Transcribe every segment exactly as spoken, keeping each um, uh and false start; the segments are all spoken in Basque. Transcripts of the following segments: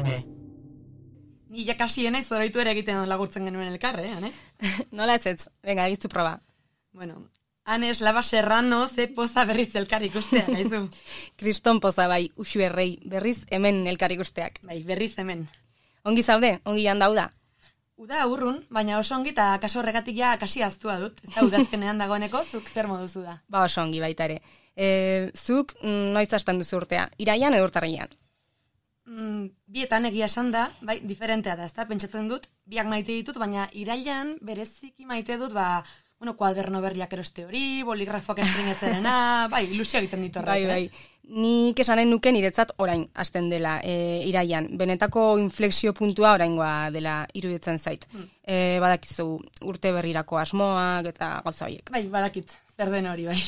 M. Ni jakasi enaiz oroitu ere egiten lagurtzen genuen elkarre, eh, Ane? Nola ez ez, venga, egizu proba. Bueno, Ane Eslava Serrano ze poza berriz elkar ikustea, gaizu. Kriston poza bai, usu errei, berriz hemen elkar ikusteak. Bai, berriz hemen. Ongi zaude, ongi handauda. Uda urrun, baina oso ongi eta kaso horregatik ja kasi aztua dut. Ez da udazkenean dagoeneko, zuk zer moduzu da. Ba oso ongi baita ere. E, zuk mm, noiz hasten duzu urtea, iraian edo urtarrian? Mm, bietan egia esan da, bai, diferentea da, ezta? Pentsatzen dut, biak maite ditut, baina irailan bereziki maite dut, ba, bueno, kuaderno berriak eroste hori, boligrafoak estringetzerena, bai, ilusio egiten ditu horrek, Bai, bai. Nik esanen nuke niretzat orain hasten dela e, iraian. Benetako inflexio puntua oraingoa dela iruditzen zait. Hmm. E, badakizu urte berrirako asmoak eta gauza horiek. Bai, badakit, zer den hori, bai.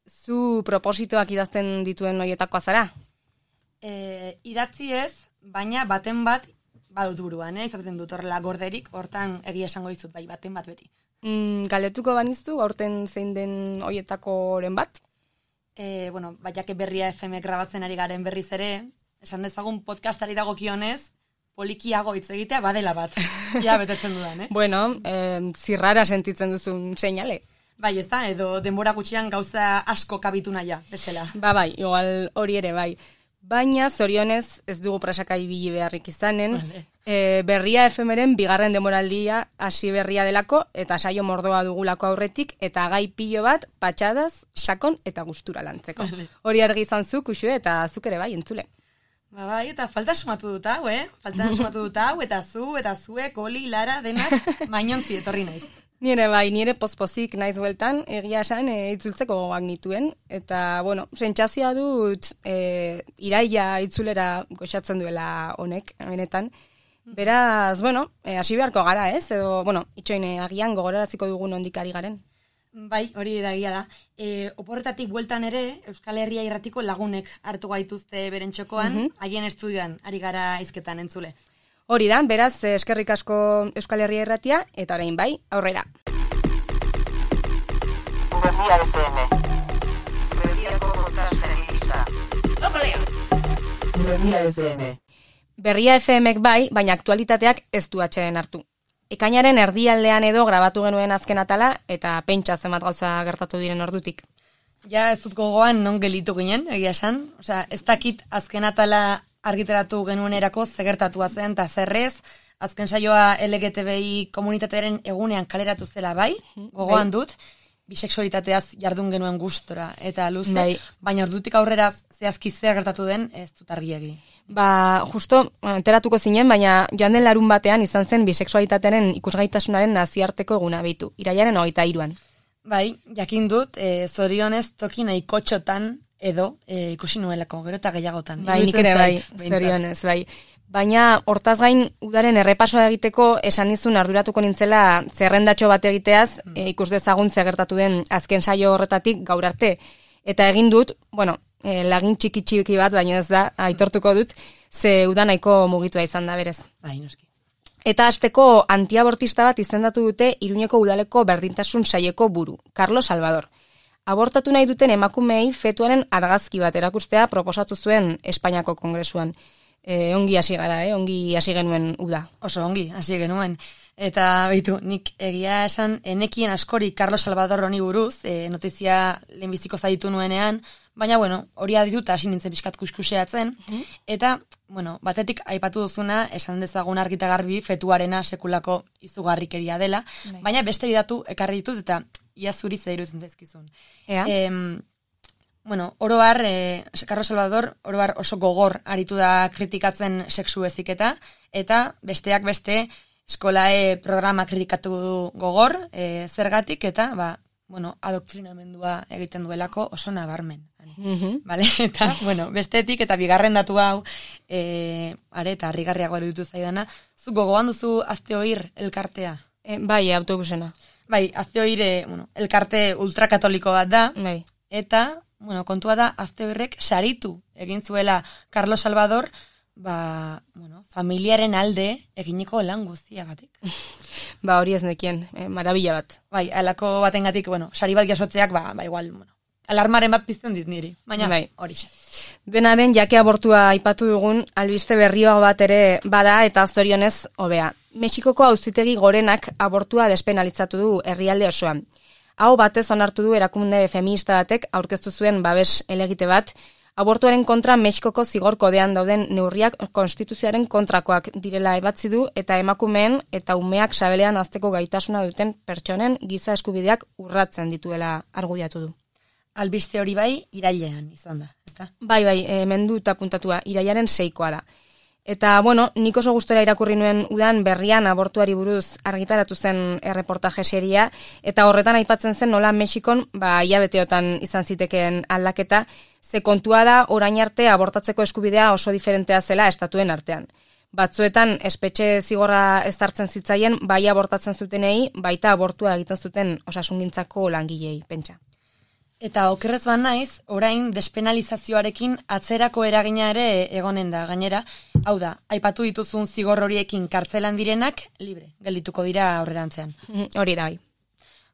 Zu propositoak idazten dituen horietakoa zara? E, idatzi ez, baina baten bat badut buruan, eh? Izaten dut horrela gorderik, hortan egia esango dizut, bai, baten bat beti. Mm, galdetuko baniztu, aurten zein den horietakoren bat? E, bueno, baiake berria F M grabatzen ari garen berriz ere, esan dezagun podcastari dagokionez, polikiago hitz egitea badela bat. Ja, betetzen dudan, eh? Bueno, eh, zirrara sentitzen duzun seinale. Bai, ez da, edo denbora gutxian gauza asko kabitu naia, bestela. Ba, bai, igual hori ere, bai. Baina, zorionez, ez dugu presaka ibili beharrik izanen, Vale. e, berria efemeren bigarren demoraldia hasi berria delako, eta saio mordoa dugulako aurretik, eta gai pilo bat, patxadaz, sakon eta gustura lantzeko. Vale. Hori argi izan zu, Uxue, eta zuk ere bai, entzule. Ba, bai, eta falta sumatu dut hau, eh? Falta sumatu dut hau, eta zu, eta zuek, Oli, Lara, denak, mainontzi etorri naiz. Nire bai, nire pospozik naiz bueltan, egia esan e, itzultzeko gogoak nituen, eta, bueno, sentsazioa dut e, iraia itzulera goxatzen duela honek, benetan. Beraz, bueno, e, hasi beharko gara, ez? Edo, bueno, itxoine agian gogoraraziko dugun ondikari garen. Bai, hori da egia da. E, oporretatik bueltan ere, Euskal Herria irratiko lagunek hartu gaituzte beren txokoan, haien estudioan, ari gara hizketan entzule. Hori da, beraz, eskerrik asko Euskal Herria irratia, eta orain bai, aurrera. Berria F M. Berriako podcasten gisa. Berria F M. Berria F Mek bai, baina aktualitateak ez du atxeden hartu. Ekainaren erdialdean edo grabatu genuen azken atala, eta pentsa zenbat gauza gertatu diren ordutik. Ja, ez dut gogoan non gelitu ginen, egia esan. Osea, ez dakit azken atala argiteratu genuenerako zegertatua zen, eta zerrez, azken saioa L G T B I komunitatearen egunean kaleratu zela bai, gogoan dut, bisexualitateaz jardun genuen gustora, eta luze, bai. Baina ordutik aurrera zehazki zer gertatu den, ez dut argi egin. Ba, justo, enteratuko zinen, baina joan den larun batean izan zen bisexualitatearen ikusgaitasunaren nazioarteko eguna behitu, iraiaren hogeita hiruan. Bai, jakin dut, e, zorionez toki nahiko txotan, edo e, ikusi nuelako, gero eta gehiagotan. Bai, nik ere bai, zorionez, bai. Baina, hortaz gain, udaren errepasoa egiteko esan nizun arduratuko nintzela zerrendatxo bat egiteaz, mm. e, ikus dezagun zegertatu den azken saio horretatik gaur arte. Eta egin dut, bueno, e, lagin txiki txiki bat, baina ez da, aitortuko dut, ze uda nahiko mugitua izan da berez. Bai, noski. Eta hasteko antiabortista bat izendatu dute Iruñeko udaleko berdintasun saieko buru, Carlos Salvador. Abortatu nahi duten emakumeei fetuaren argazki bat erakustea proposatu zuen Espainiako Kongresuan. E, ongi hasi gara, eh? Ongi hasi genuen uda. Oso ongi, hasi genuen. Eta beitu, nik egia esan, enekien askori Carlos Salvador honi buruz, e, notizia lehenbiziko zaitu nuenean, baina, bueno, hori aditut hasi nintzen pixkat kuskuseatzen, mm-hmm. eta, bueno, batetik aipatu duzuna, esan dezagun argita garbi, fetuarena sekulako izugarrikeria dela, Dai. Baina beste bidatu ekarri ditut, eta ia zuri zeiru izen zaizkizun. Ea? E, bueno, oroar, e, Carlos Salvador, oroar oso gogor aritu da kritikatzen sexu eziketa, eta besteak beste, eskolae programa kritikatu du gogor, e, zergatik, eta, ba, bueno, adoktrinamendua egiten duelako oso nabarmen. Mm-hmm. Vale? Eta, bueno, bestetik, eta bigarren datu hau, e, are, eta harrigarriago eruditu zaidana, zu gogoan duzu azte oir elkartea? E, bai, autobusena. Bai, azte oir, bueno, elkarte ultrakatoliko bat da, bai. Eta, bueno, kontua da, azte oirrek saritu egin zuela Carlos Salvador, ba, bueno, familiaren alde eginiko lan guztiagatik. Ba, hori ez nekien, eh, marabila bat. Bai, alako batengatik, bueno, sari bat jasotzeak, ba, ba igual, bueno, alarmaren bat pizten dit niri, baina bai. horixe. Dena den, jake abortua aipatu dugun, albiste berrioa bat ere bada eta zorionez hobea. Mexikoko auzitegi gorenak abortua despenalizatu du herrialde osoan. Hau batez onartu du erakunde feminista batek aurkeztu zuen babes elegite bat, abortuaren kontra Mexikoko zigor kodean dauden neurriak konstituzioaren kontrakoak direla ebatzi du eta emakumeen eta umeak sabelean hazteko gaitasuna duten pertsonen giza eskubideak urratzen dituela argudiatu du. Albiste hori bai, irailean izan da, ezta? Bai, bai, hemen du eta puntatua, irailaren seikoa da. Eta, bueno, nik oso gustora irakurri nuen udan berrian abortuari buruz argitaratu zen erreportaje seria, eta horretan aipatzen zen nola Mexikon, ba, hilabeteotan izan zitekeen aldaketa, ze kontua da orain arte abortatzeko eskubidea oso diferentea zela estatuen artean. Batzuetan espetxe zigorra ezartzen zitzaien, bai abortatzen zutenei, baita abortua egiten zuten osasungintzako langilei, pentsa. Eta okerrez ban naiz, orain despenalizazioarekin atzerako eragina ere egonen da gainera. Hau da, aipatu dituzun zigor horiekin kartzelan direnak, libre, geldituko dira aurrerantzean. Hori da, bai.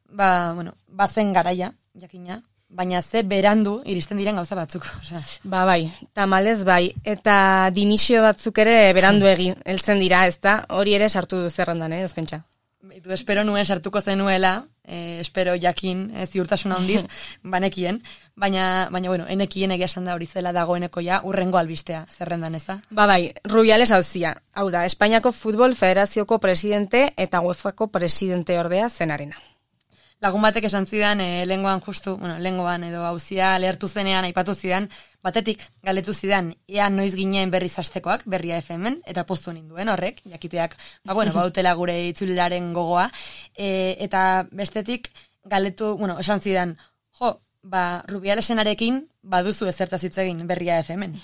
Ba, bueno, bazen garaia, jakina, baina ze berandu iristen diren gauza batzuk. Osea. Ba, bai, tamalez bai, eta dimisio batzuk ere beranduegi heltzen dira, ezta? Hori ere sartu du zerrendan, eh, ez pentsa. Beitu, espero nuen sartuko zenuela, eh, espero jakin, eh, ziurtasuna handiz, banekien, baina, baina bueno, enekien egia esan da hori zela dagoeneko ja, urrengo albistea, zerrendan eza? Ba bai, Rubiales auzia, hau da, Espainiako Futbol Federazioko presidente eta UEFako presidente ordea zenarena. Lagun batek esan zidan, e, lengoan justu, bueno, lengoan edo auzia lehertu zenean aipatu zidan, batetik galetu zidan, ea noiz ginen berriz hastekoak, Berria F M-en, eta poztu ninduen horrek, jakiteak, ba, bueno, bautela gure itzulilaren gogoa, e, eta bestetik galetu, bueno, esan zidan, jo, ba, Rubialesenarekin baduzu ezertaz hitz egin Berria F M-en.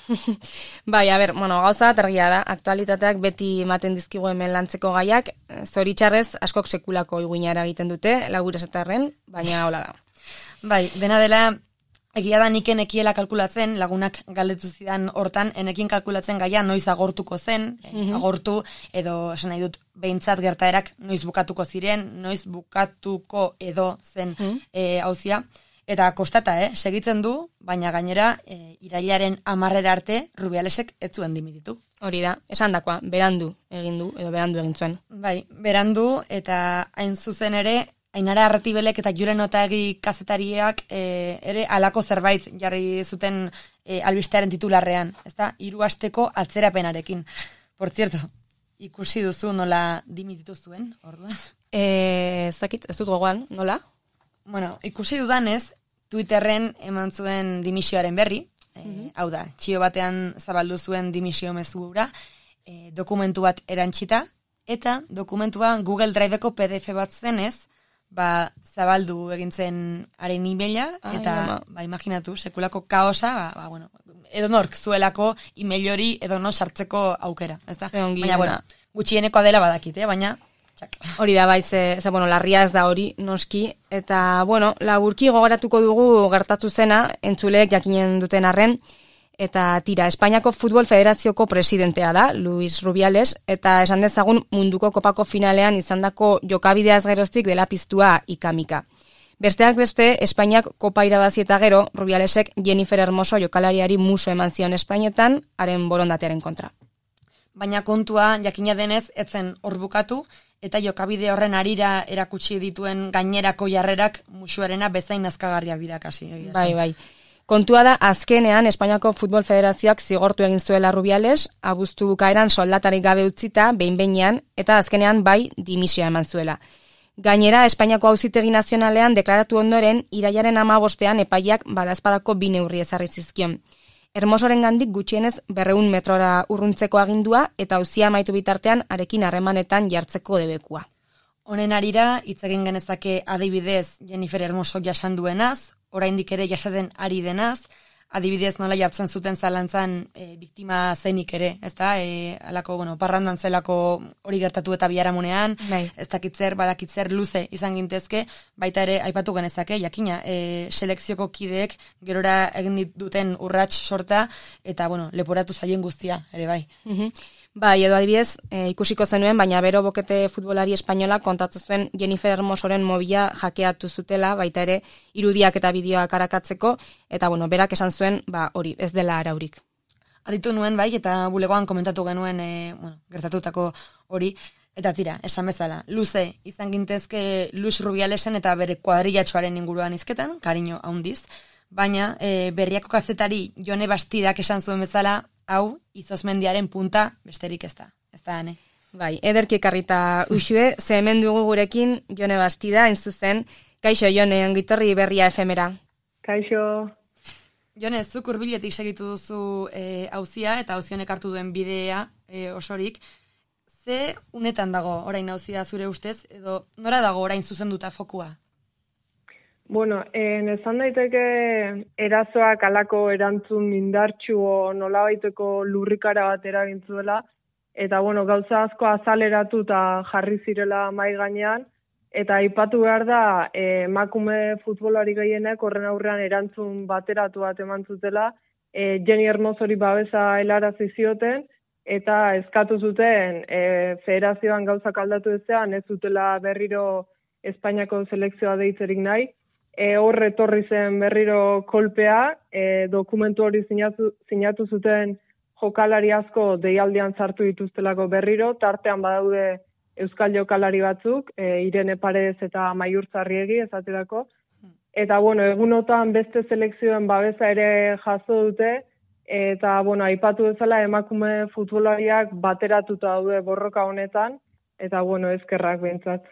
Bai, a ber, bueno, gauza bat argia da, aktualitateak beti ematen dizkigu hemen lantzeko gaiak, zoritxarrez askok sekulako iguina eragiten dute, lagur esatarren, baina hola da. Bai, dena dela, egia da nik enekiela kalkulatzen, lagunak galdetu zidan hortan, enekin kalkulatzen gaia noiz agortuko zen, mm-hmm. agortu, edo esan nahi dut, behintzat gertaerak noiz bukatuko ziren, noiz bukatuko edo zen mm-hmm. e, auzia. Eta kostata, eh, segitzen du, baina gainera e, irailaren hamarrera arte Rubialesek ez zuen dimititu. Hori da, esan dakoa, berandu egin du, edo berandu egin zuen. Bai, berandu eta hain zuzen ere, Ainara Arratibelek eta Julen Otagi kazetariak e, ere halako zerbait jarri zuten e, albistearen titularrean, ezta? Hiru asteko atzerapenarekin. Por cierto, ikusi duzu nola dimititu zuen, orduan? Eh, ez dakit, ez dut gogoan, nola? Bueno, ikusi dudanez, Twitterren eman zuen dimisioaren berri, mm-hmm. e, hau da, txio batean zabaldu zuen dimisio mezura, e, dokumentu bat erantxita, eta dokumentua Google Driveko P D F bat zenez, ba, zabaldu egintzen haren emaila, eta, Ai, ba, imaginatu, sekulako kaosa, ba, ba, bueno, edo nork zuelako email hori edo no sartzeko aukera, ez da? Baina, bueno, gutxieneko dela badakit, eh? Baina, txak. Hori da, bai, ze, ze, bueno, larria ez da hori, noski, eta, bueno, laburki gogoratuko dugu gertatu zena, entzuleek jakinen duten arren, eta tira, Espainiako Futbol Federazioko presidentea da, Luis Rubiales, eta esan dezagun munduko kopako finalean izandako jokabideaz geroztik dela piztua ikamika. Besteak beste, Espainiak kopa irabazi eta gero, Rubialesek Jennifer Hermoso jokalariari muso eman zion Espainetan, haren borondatearen kontra. Baina kontua, jakina denez, etzen hor bukatu, eta jokabide horren arira erakutsi dituen gainerako jarrerak musuarena bezain nazkagarriak dira kasi. Bai, bai. Kontua da, azkenean Espainiako Futbol Federazioak zigortu egin zuela Rubiales, abuztu bukaeran soldatarik gabe utzita, behin-behinean, eta azkenean bai dimisioa eman zuela. Gainera, Espainiako Auzitegi Nazionalean deklaratu ondoren, irailaren hamabostean epaiak badazpadako bi neurri ezarri zizkion. Hermosoren gandik gutxienez berreun metrora urruntzeko agindua eta auzia amaitu bitartean arekin harremanetan jartzeko debekua. Honen arira, hitz egin genezake adibidez Jennifer Hermoso jasan duenaz, oraindik ere jasaten ari denaz, adibidez nola jartzen zuten zalantzan e, biktima zenik ere, ezta? E, alako, bueno, parrandan zelako hori gertatu eta biharamunean, bai. Ez dakitzer, badakitzer luze izan gintezke, baita ere aipatu genezake, jakina, e, selekzioko kideek gerora egin duten urrats sorta, eta, bueno, leporatu zaien guztia, ere bai. Mm-hmm. Bai, edo adibidez, e, ikusiko zenuen, baina bero bokete futbolari espainola kontatu zuen Jennifer Hermosoren mobila hakeatu zutela, baita ere irudiak eta bideoak arakatzeko, eta bueno, berak esan zuen, ba, hori, ez dela araurik. Aditu nuen bai, eta bulegoan komentatu genuen e, bueno, gertatutako hori, eta tira, esan bezala, luze, izan gintezke Luis Rubialesen eta bere kuadrillatxoaren inguruan izketan, kariño haundiz, baina e, berriako kazetari Jone Bastidak esan zuen bezala, hau, Izozmendiaren punta besterik ez da, ez da, ane? Bai, ederki ekarrita usue, ze hemen dugu gurekin Jone Bastida, entzuzen, kaixo Jone, ongitorri berria efemera. Kaixo. Jone, zuk hurbiletik segitu duzu e, auzia eta auzionek hartu duen bidea e, osorik. Ze unetan dago orain auzia zure ustez, edo nora dago orain zuzenduta fokua? Bueno, en esan daiteke erasoak alako erantzun indartsu nolabaiteko lurrikara bat eragintzuela, eta bueno, gauza asko azaleratu eta jarri zirela mai gainean, eta aipatu behar da eh, emakume futbolari gehienek horren aurrean erantzun bateratu bat eman zutela, eh, Jenny Hermosori babesa helarazi zioten, eta eskatu zuten e, federazioan gauzak aldatu ezean, ez zutela berriro Espainiako selekzioa deitzerik nahi. E, hor etorri zen berriro kolpea, e, dokumentu hori sinatu, sinatu zuten jokalari asko deialdian sartu dituztelako berriro, tartean badaude euskal jokalari batzuk, e, Irene Paredes eta Maiur Zarriegi esaterako. Eta bueno, egunotan beste selekzioen babesa ere jaso dute, eta, bueno, aipatu bezala emakume futbolariak bateratuta daude borroka honetan, eta, bueno, eskerrak behintzat.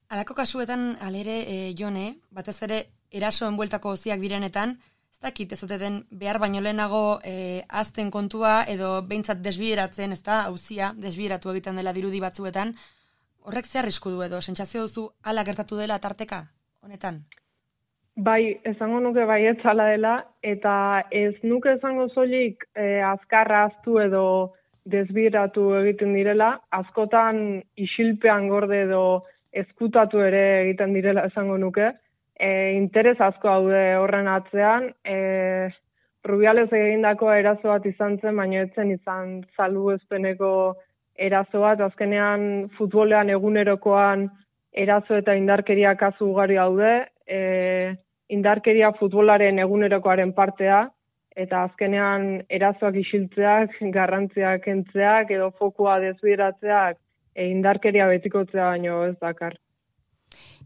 Alako kasuetan, alere, e, Jone, batez ere, erasoen bueltako ziak direnetan, ez dakit ez dute den behar baino lehenago e, azten kontua, edo behintzat desbideratzen, ez da, hauzia, desbideratu egiten dela dirudi batzuetan, horrek ze arrisku du edo, sentsazio duzu ala gertatu dela tarteka, honetan? Bai, esango nuke baietz hala dela, eta ez nuke esango soilik eh, azkarra aztu edo desbiratu egiten direla, askotan isilpean gorde edo ezkutatu ere egiten direla esango nuke. E, interes asko daude horren atzean, e, Rubiales egindako eraso bat izan zen, baina ez zen izan salbuespeneko eraso bat, azkenean futbolean egunerokoan eraso eta indarkeria kasu ugari daude, e, indarkeria futbolaren egunerokoaren partea, eta azkenean erasoak isiltzeak, garrantziak kentzeak, edo fokua desbideratzeak, e, indarkeria betikotzea baino ez dakar.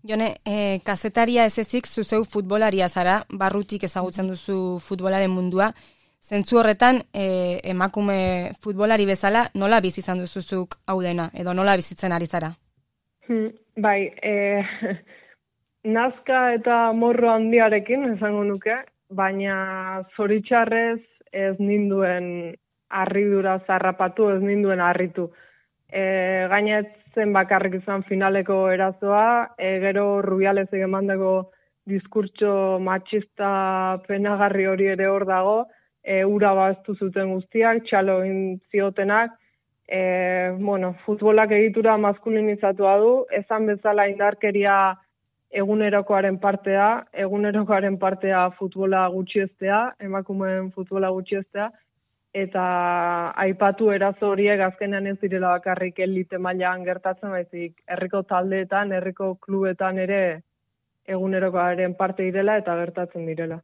Jone, e, kazetaria ez ezik zuzeu futbolaria zara, barrutik ezagutzen duzu futbolaren mundua, zentzu horretan e, emakume futbolari bezala nola bizi izan duzuzuk hau dena, edo nola bizitzen ari zara? Hmm, bai, e, nazka eta morro handiarekin esango nuke, baina zoritxarrez ez ninduen harridura zarrapatu, ez ninduen harritu. E, gainetzen bakarrik izan finaleko erazoa, e, gero Rubiales egemandako diskurtso matxista penagarri hori ere hor dago, e, ura baztu zuten guztiak, txalo egin ziotenak, e, bueno, futbolak egitura maskulinizatua du, esan bezala indarkeria egunerokoaren partea, egunerokoaren partea futbola gutxiestea, emakumeen futbola gutxiestea, eta aipatu erazo horiek azkenean ez direla bakarrik elite mailan gertatzen, baizik herriko taldeetan, herriko klubetan ere egunerokoaren parte direla eta gertatzen direla.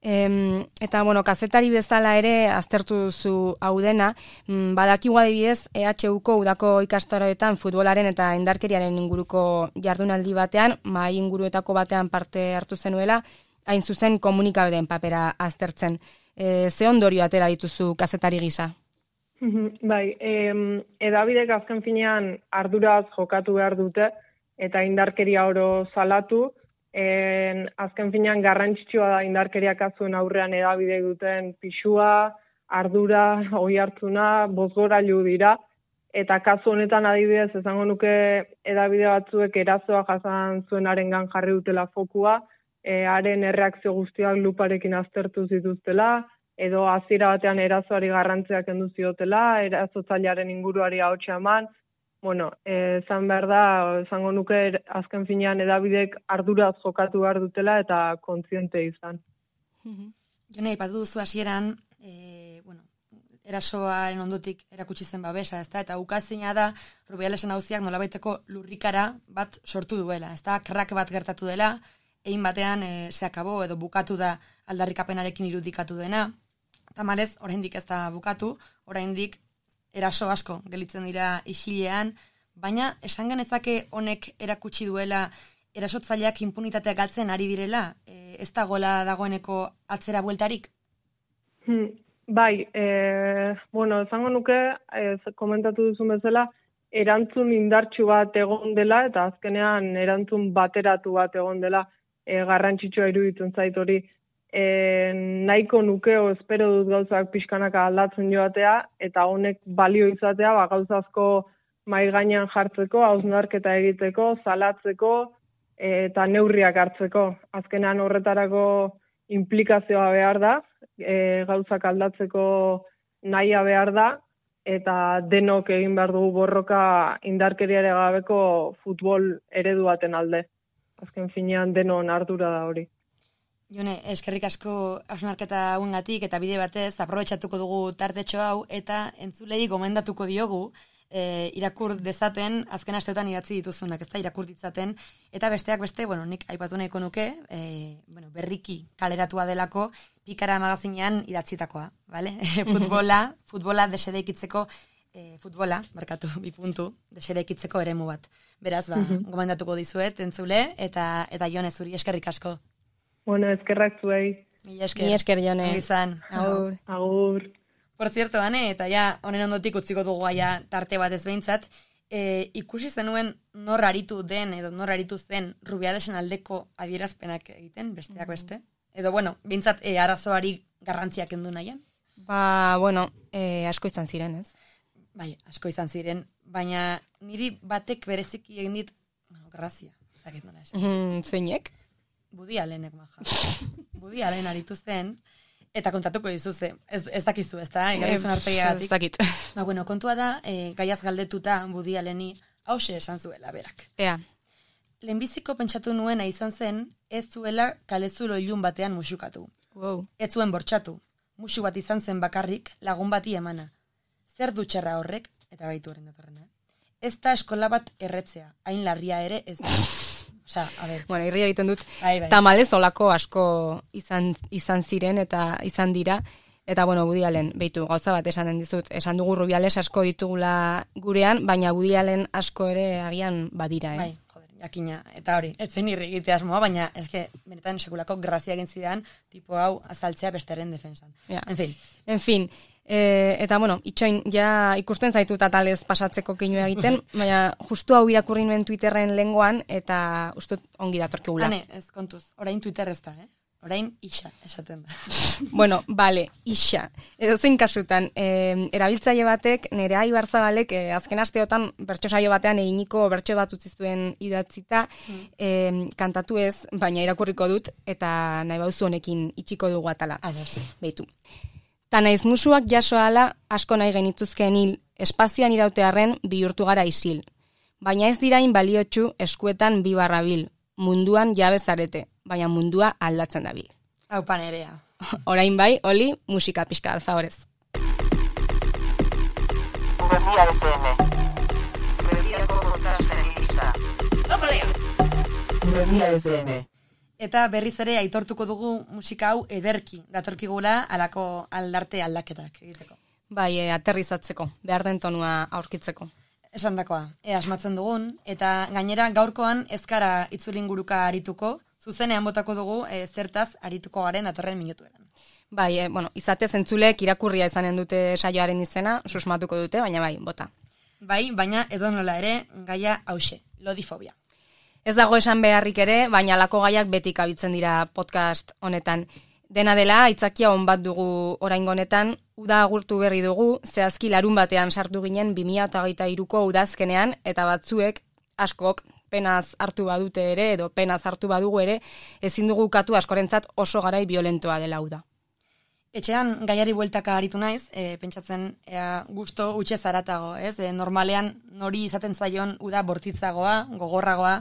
Em, eta, bueno, kazetari bezala ere aztertu duzu hau dena, badakigu adibidez E H Uko udako ikastaroetan futbolaren eta indarkeriaren inguruko jardunaldi batean, mahai inguruetako batean parte hartu zenuela, hain zuzen komunikabideen papera aztertzen. E, ze ondorio atera dituzu kazetari gisa? Bai, eh, edabidek azken finean arduraz jokatu behar dute eta indarkeria oro salatu. En, azken finean garrantzitsua da indarkeria kasuen aurrean edabide duten pisua, ardura, oihartzuna, bozgorailu dira, eta kasu honetan adibidez esango nuke edabide batzuek erazoa jasan zuenarengan jarri dutela fokua, e, haren erreakzio guztiak luparekin aztertu zituztela, edo hasiera batean erazoari garrantziak kendu ziotela, erazotzailearen inguruari ahotsa eman. Bueno, esan behar da, esango nuke azken finean edabidek arduraz jokatu behar dutela eta kontziente izan. Jone, ipatu duzu hasieran, e, bueno, erasoaren ondotik erakutsi zen babesa, ezta? Eta ukazina da Rubialesen auziak nolabaiteko lurrikara bat sortu duela, ezta? Krak bat gertatu dela, egin batean e, se akabo edo bukatu da aldarrikapenarekin irudikatu dena. Tamalez, oraindik ez da bukatu, oraindik eraso asko gelitzen dira isilean, baina esan genezake honek erakutsi duela erasotzaileak impunitatea galtzen ari direla, e, ez dagoela dagoeneko atzera bueltarik? Hmm, bai, e, bueno, esango nuke, e, komentatu duzun bezala, erantzun indartsu bat egon dela, eta azkenean erantzun bateratu bat egon dela, e, garrantzitsua iruditzen zait hori. E, nahiko nukeo espero dut gauzak pixkanaka aldatzen joatea, eta honek balio izatea, ba, gauza asko mai gainean jartzeko, hausnarketa egiteko, salatzeko, eta neurriak hartzeko. Azkenean horretarako implikazioa behar da, e, gauzak aldatzeko nahia behar da, eta denok egin behar dugu borroka indarkeriare gabeko futbol eredu baten alde. Azken finean denon ardura da hori. Jone, eskerrik asko hausnarketa hauengatik eta bide batez aprobetxatuko dugu tartetxo hau eta entzulei gomendatuko diogu e, irakur dezaten azken asteotan idatzi dituzunak, ezta irakur ditzaten eta besteak beste, bueno, nik aipatu nahiko nuke, e, bueno, berriki kaleratua delako Pikara magazinean idatzitakoa, vale? futbola, futbola desereikitzeko e, futbola, barkatu, bi puntu, desereikitzeko eremu bat. Beraz, ba, gomendatuko dizuet entzule eta eta Jone zuri eskerrik asko. Bueno, eskerrak zuei. Mila esker. Mila esker, Jone. Izan. Agur. Agur. Por cierto, Ane, eta ja, honen ondotik utziko dugu gaia tarte bat ez behintzat, e, ikusi zenuen nor aritu den, edo nor aritu zen Rubialesen aldeko adierazpenak egiten, besteak beste? Edo, bueno, behintzat, e, arazoari garrantziak kendu nahian? Ba, bueno, e, asko izan ziren, ez? Bai, asko izan ziren, baina niri batek bereziki egin dit, bueno, grazia, ezakit nola esan. Mm, zeinek? Budi Allenek maja. Budi Allen aritu zen, eta kontatuko dizuze. Ez, ez dakizu, ez da? Egarrizun artegiagatik. Ez dakit. Ba, bueno, kontua da, e, gaiaz galdetuta Budi Alleni hause esan zuela berak. Ea. Lehenbiziko pentsatu nuena izan zen, ez zuela kalezulo ilun batean musukatu. Wow. Ez zuen bortxatu. Musu bat izan zen bakarrik, lagun bati emana. Zer dutxerra horrek, eta baitu horren datorrena. Ez da eskola bat erretzea, hain larria ere ez da. Osa, a ber. Bueno, irria egiten dut. Bai, bai. Tamalez olako asko izan, izan ziren eta izan dira. Eta, bueno, Budi Allen, behitu, gauza bat esan den dizut. Esan dugu Rubiales asko ditugula gurean, baina Budi Allen asko ere agian badira, eh? Bai, joder, jakina. Eta hori, etzen irri egitea asmoa, baina eske, benetan sekulako grazia egin zidan, tipo hau azaltzea besteren defensan. Ja. En fin. En fin. E, eta, bueno, itxoin, ja ikusten zaitu tatalez pasatzeko keinu egiten, baina justu hau irakurri nuen Twitterren lengoan, eta ustut ongi datorkigula. Hane, ez kontuz, orain Twitter ez da, eh? Orain isa, esaten da. Bueno, bale, isa. Edo zein kasutan, e, erabiltzaile batek, Nerea Ibarzabalek, e, azken asteotan bertso saio batean eginiko bertso bat utzi zuen idatzita, mm. e, kantatu ez, baina irakurriko dut, eta nahi bauzu honekin itxiko dugu atala. Ados. Beitu. Ta naiz musuak jaso ala asko nahi genituzkeen hil, espazioan irautearren bihurtu gara isil. Baina ez dirain baliotsu eskuetan bi barra bil, munduan jabe zarete, baina mundua aldatzen dabil. Hau panerea. Orain bai, oli, musika pixka alfaorez. Berria F M. Berriako podcastegista. Berria F M. Eta berriz ere aitortuko dugu musika hau ederki datorkigula alako aldarte aldaketak egiteko. Bai, e, aterrizatzeko, behar den tonua aurkitzeko. Esandakoa, e asmatzen dugun, eta gainera gaurkoan ezkara itzulinguruka arituko, zuzenean botako dugu e, zertaz arituko garen datorren minutuetan. Bai, e, bueno, izatez entzulek irakurria izanen dute saioaren izena, susmatuko dute, baina bai, bota. Bai, baina edonola ere gaia hause, lodifobia. Ez dago esan beharrik ere, baina alako gaiak betik abitzen dira podcast honetan. Dena dela, aitzakia on bat dugu oraingo honetan, uda agurtu berri dugu, zehazki larun batean sartu ginen bi mila hogeita hiruko udazkenean, eta batzuek, askok, penaz hartu badute ere, edo penaz hartu badugu ere, ezin dugu ukatu askorentzat oso garai violentoa dela uda. Etxean gaiari bueltaka aritu naiz, e, pentsatzen ea, gusto utxe zaratago, ez? E, normalean nori izaten zaion uda bortitzagoa, gogorragoa,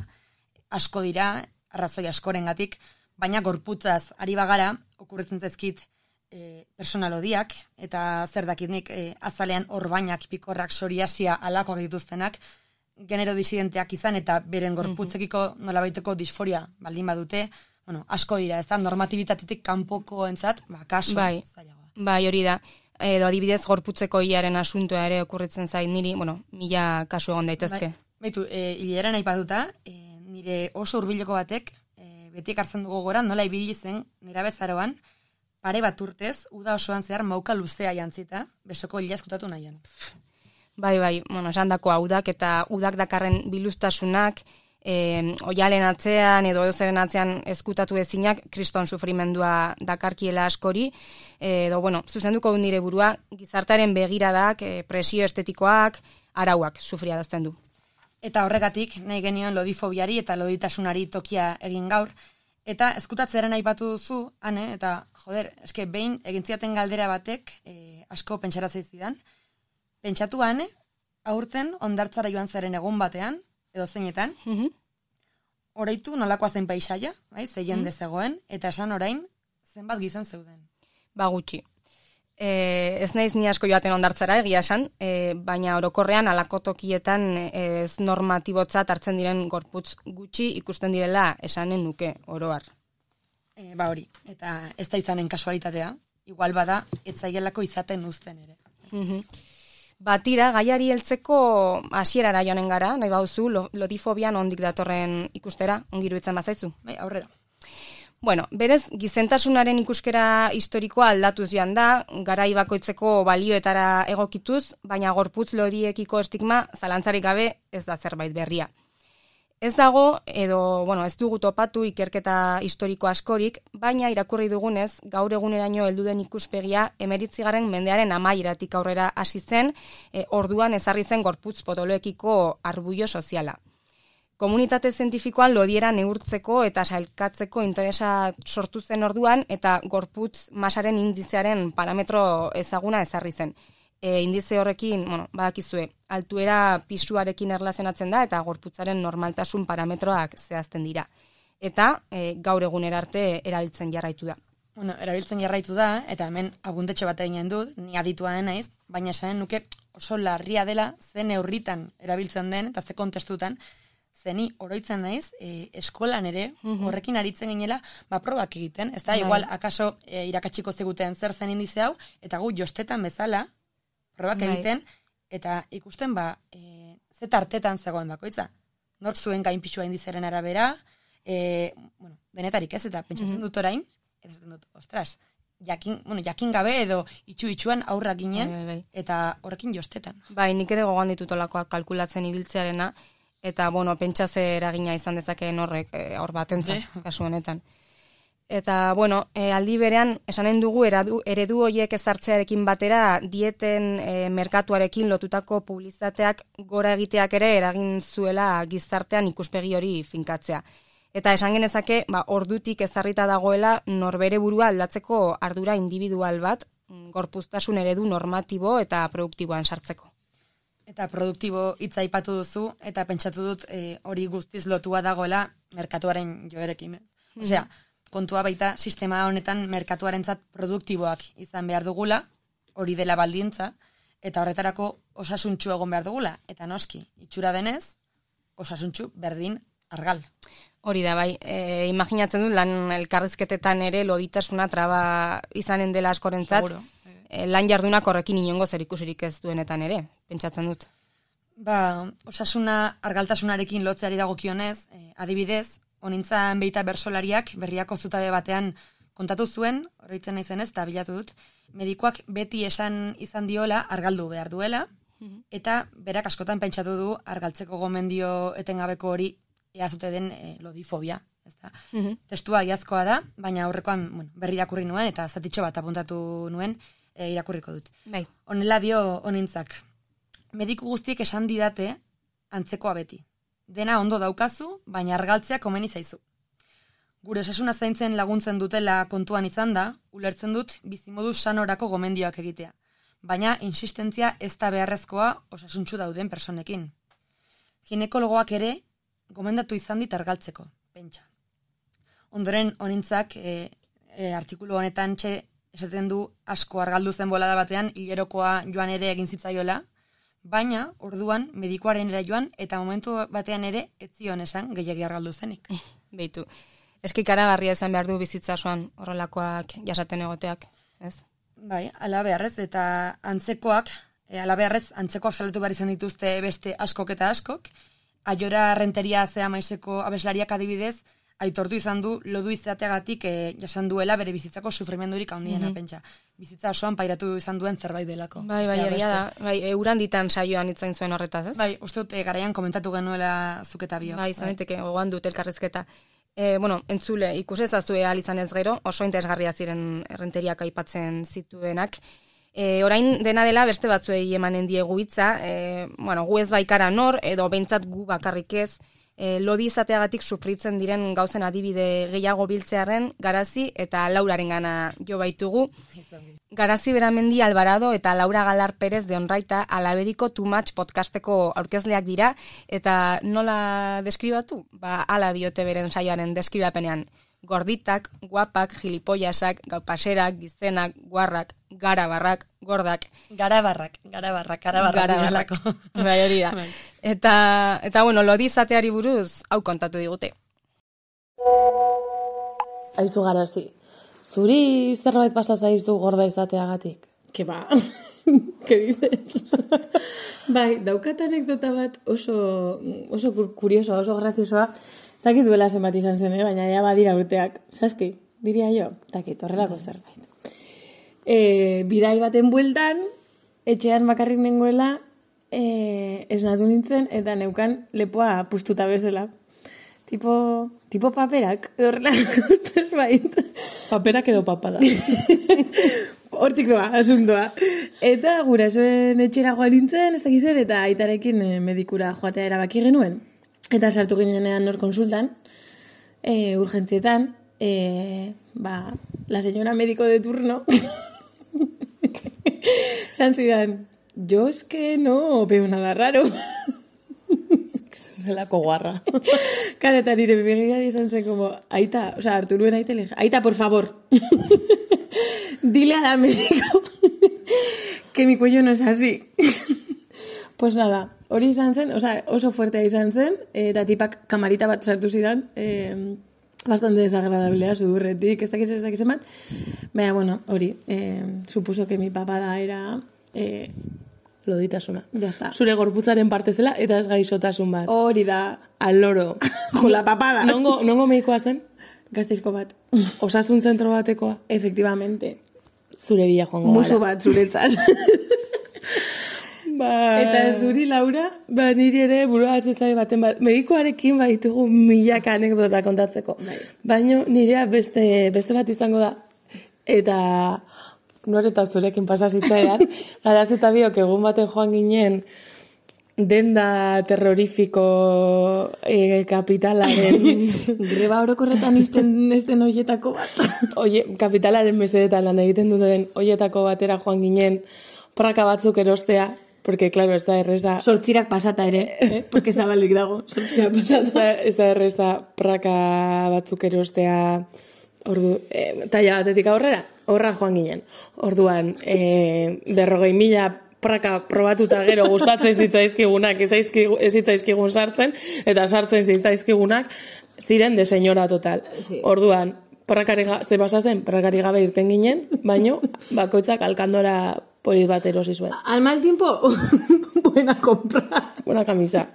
asko dira, arrazoi askorengatik, baina gorputzaz ari bagara, okurritzen zaizkit e, personalodiak, eta zer dakit nik e, azalean orbainak, pikorrak, psoriasia, alakoak dituztenak, genero disidenteak izan eta beren gorputzekiko nolabaiteko disforia baldin badute, bueno, asko dira, ez da, normatibitatetik kanpoko entzat, ba, kaso, bai, zailagoa. Bai, hori da. Edo adibidez gorputzeko hilaren asuntoa ere okurritzen zait niri, bueno, mila kasu egon daitezke. Bai, baitu, e, hilera nahi paduta, e, nire oso hurbileko batek, e, beti ekartzen dugu gora, nola ibili zen, nera bezaroan, pare bat urtez, uda osoan zehar mauka luzea jantzita, besoko hila eskutatu nahian. Bai, bai, bueno, esan dako udak eta udak dakarren biluztasunak, e, oialen atzean edo edozeren atzean ezkutatu ezinak kriston sufrimendua dakarkiela askori, edo, bueno, zuzenduko nire burua, gizartaren begiradak, e, presio estetikoak, arauak sufriarazten du. Eta horregatik, nahi genion lodifobiari eta loditasunari tokia egin gaur, eta ezkutatzearen aipatu duzu, ane, eta, joder, eske behin egintziaten galdera batek, e, asko pentsaratzei zidan, pentsatu ane, aurten ondartzara joan zaren egun batean, edo zeinetan, mm -hmm. Oraitu nolakoa zen paisaia, bai, ze jende zegoen, eta esan orain, zenbat gizon zeuden. Ba gutxi. E, ez naiz ni asko joaten ondartzara, egia esan, e, baina orokorrean alako tokietan ez normatibotzat hartzen diren gorputz gutxi ikusten direla esanen nuke, oroar. E, ba hori, eta ez da izanen kasualitatea, igual bada, etzaielako izaten uzten ere. Mhm. Batira, gaiari heltzeko hasierara joanen gara, nahi bauzu, lodifobian ondik datorren ikustera, ongiru itzen bazaizu. Bai, aurrera. Bueno, berez, gizentasunaren ikuskera historikoa aldatuz joan da, garai bakoitzeko balioetara egokituz, baina gorputz lodiekiko estigma zalantzarik gabe ez da zerbait berria. Ez dago, edo, bueno, ez dugu topatu ikerketa historiko askorik, baina irakurri dugunez, gaur eguneraino heldu den ikuspegia emeritzigarren mendearen amaieratik aurrera hasi zen, e, orduan ezarri zen gorputz potoloekiko arbuio soziala. Komunitate zientifikoan lodiera neurtzeko eta sailkatzeko interesa sortu zen orduan, eta gorputz masaren indizearen parametro ezaguna ezarri zen. E, indize horrekin, bueno, badakizue, altuera pisuarekin erlazionatzen da eta gorputzaren normaltasun parametroak zehazten dira. Eta e, gaur egunera arte erabiltzen jarraitu da. Bueno, erabiltzen jarraitu da, eta hemen abundetxo bat eginen dut, ni aditua naiz, baina esanen nuke oso larria dela, ze neurritan erabiltzen den, eta ze kontestutan, zeni oroitzen naiz, e, eskolan ere, mm-hmm. horrekin aritzen ginela, ba, probak egiten, ez da, Bai. igual, akaso e, irakatsiko ziguten zer zen indize hau, eta gu jostetan bezala, probak Bai. egiten, eta ikusten ba, e, ze tartetan zegoen bakoitza. Nork zuen gainpixua indizeren arabera, e, bueno, denetarik ez, eta pentsatzen Mhm. dut orain, eta esaten dut, ostras, jakin, bueno, jakin gabe edo itxu-itxuan aurrak ginen, Bai, bai, bai. eta horrekin jostetan. Bai, nik ere gogoan ditutolakoak kalkulatzen ibiltzearena, eta, bueno, pentsatze eragina izan dezakeen horrek, e, hor batentzat, kasu honetan. Eta, bueno, e, aldi berean, esanen dugu eredu, eredu horiek ezartzearekin batera, dieten e, merkatuarekin lotutako publizitateak gora egiteak ere eragin zuela gizartean ikuspegi hori finkatzea. Eta esan genezake, ba, ordutik ezarrita dagoela norbere burua aldatzeko ardura individual bat, gorpuztasun eredu normatibo eta produktiboan sartzeko. Eta produktibo hitza aipatu duzu, eta pentsatu dut e, hori guztiz lotua dagoela merkatuaren joerekin. Mm. Osea, kontua baita sistema honetan merkatuarentzat produktiboak izan behar dugula, hori dela baldintza, eta horretarako osasuntxu egon behar dugula. Eta noski, itxura denez, osasuntxu berdin argal. Hori da, bai, e, imaginatzen dut lan elkarrizketetan ere loditasuna traba izanen dela askorentzat, Seguro. e, lan jardunak horrekin inongo zerikusirik ez duenetan ere, pentsatzen dut. Ba, osasuna argaltasunarekin lotzeari dagokionez, e, adibidez, honintzan beita bersolariak berriako zutabe batean kontatu zuen, oroitzen naizenez, eta bilatu dut, medikoak beti esan izan diola argaldu behar duela, mm-hmm. eta berak askotan pentsatu du argaltzeko gomendio etengabeko hori eazute den e, lodifobia. Ezta? Mm-hmm. Testua iazkoa da, baina aurrekoan bueno, berri irakurri nuen, eta zatitxo bat apuntatu nuen e, irakurriko dut. Bai. Honela dio honintzak, mediku guztiek esan didate antzekoa beti. Dena ondo daukazu, baina argaltzea komeni zaizu. Gure osasuna zaintzen laguntzen dutela kontuan izan da, ulertzen dut bizimodu sanorako gomendioak egitea. Baina insistentzia ez da beharrezkoa osasuntsu dauden personekin. Ginekologoak ere gomendatu izan dit argaltzeko, pentsa. Ondoren honintzak e, e, artikulu honetan txe esaten du asko argaldu zen bolada batean hilerokoa joan ere egin zitzaiola, baina orduan medikuaren era joan eta momentu batean ere ez zion esan gehiegi argaldu zenik. Beitu. Eski karagarria izan behar du bizitza osoan horrelakoak jasaten egoteak, ez? Bai, ala beharrez eta antzekoak, e, ala beharrez antzekoak salatu behar izan dituzte beste askok eta askok. Aiora Renteria zea maizeko abeslariak adibidez, aitortu izan du lodu izateagatik e, jasan duela bere bizitzako sufrimendurik handiena mm-hmm. pentsa. Bizitza osoan pairatu izan duen zerbait delako. Bai, bai, egia da. Bai, euran ditan saioan itzain zuen horretaz, ez? Bai, uste dut e, garaian komentatu genuela zuketa biok. Bai, izan daiteke gogoan dut elkarrizketa. E, bueno, entzule, ikusezaztu ehal izan ez gero, oso interesgarria ziren Renteriak aipatzen zituenak. E, orain dena dela beste batzuei emanen diegu hitza, e, bueno, gu ez baikara nor, edo behintzat gu bakarrik ez, e, lodi izateagatik sufritzen diren gauzen adibide gehiago biltzearen Garazi eta Lauraren gana jo baitugu. Garazi Beramendi Alvarado eta Laura Galar Perez de Onraita Alabediko Too Much podcasteko aurkezleak dira, eta nola deskribatu? Ba, ala diote beren saioaren deskribapenean. Gorditak, guapak, gilipollasak, gaupaserak, gizenak, guarrak, garabarrak, gordak. Garabarrak, garabarrak, garabarrak. Garabarrak. Bai, hori da. Eta, eta bueno, lodi izateari buruz, hau kontatu digute. Aizu Garazi, zuri zerbait pasa zaizu gorda izateagatik? Ke ba, ke dices? Bai, daukat anekdota bat oso, oso kuriosoa, oso graziosoa. Takit duela zenbat izan zen, eh? Baina ja badira urteak. Zazpi, diria jo, takit, horrelako zerbait. E, bidai baten bueltan, etxean bakarrik nengoela, e, esnatu nintzen, eta neukan lepoa pustuta bezala. Tipo, tipo paperak, horrelako zerbait. Paperak edo papada. Hortik doa, asuntoa. Eta gurasoen etxera joan nintzen, ez dakizen, eta aitarekin medikura joatea erabaki genuen. Eta sartu ginenean nor konsultan, e, urgentzietan, e, ba, la señora médico de turno, san zidan, yo es que no veo nada raro. Zelako guarra. Kara, eta nire begira izan zen como, aita, o sea, hartu nuen aita, le dije, aita, por favor, dile a la médico que mi cuello no es así. Pues nada, hori izan zen, oza, oso fuertea izan zen, eta tipak kamarita bat sartu zidan, eh, bastante desagradablea, sudurretik, ez dakiz, ez dakiz emat. Baina, bueno, hori, eh, supuso que mi papada era... Eh, loditasuna. Ya está. Zure gorputzaren parte zela, eta ez gaixotasun bat. Hori da. Al loro. Jo, la papada. Nongo, nongo medikoa zen? Gasteizko bat. Osasun zentro batekoa? Efectivamente. Zure bila joango gara. Musu bat, zuretzat. Ba... Eta zuri, Laura? Ba, niri ere burua atzezai baten bat. Medikoarekin baitugu milaka anekdota kontatzeko. Bai. Baina nirea beste, beste bat izango da. Eta noreta zurekin pasazitzaidan. Garaz eta biok egun baten joan ginen denda terrorifiko e, kapitalaren... Greba orokorretan izten esten oietako bat. Oie, kapitalaren mesedetan lan egiten duten oietako batera joan ginen praka batzuk erostea. Porque, claro, ez da erreza... Sortzirak pasata ere, eh? Porque zabalik dago. Sortzirak pasata. Ez da erreza praka batzuk erostea ordu, eh, taila batetik aurrera, horra joan ginen. Orduan, eh, berrogei mila praka probatuta gero gustatzen zitzaizkigunak, ez zitzaizkigun sartzen, eta sartzen zitzaizkigunak, ziren de señora total. Sí. Orduan, prakari ze pasa zen, prakari gabe irten ginen, baino, bakoitzak alkandora polit bat erosi zuen. Al mal tiempo, buena compra. Buena camisa.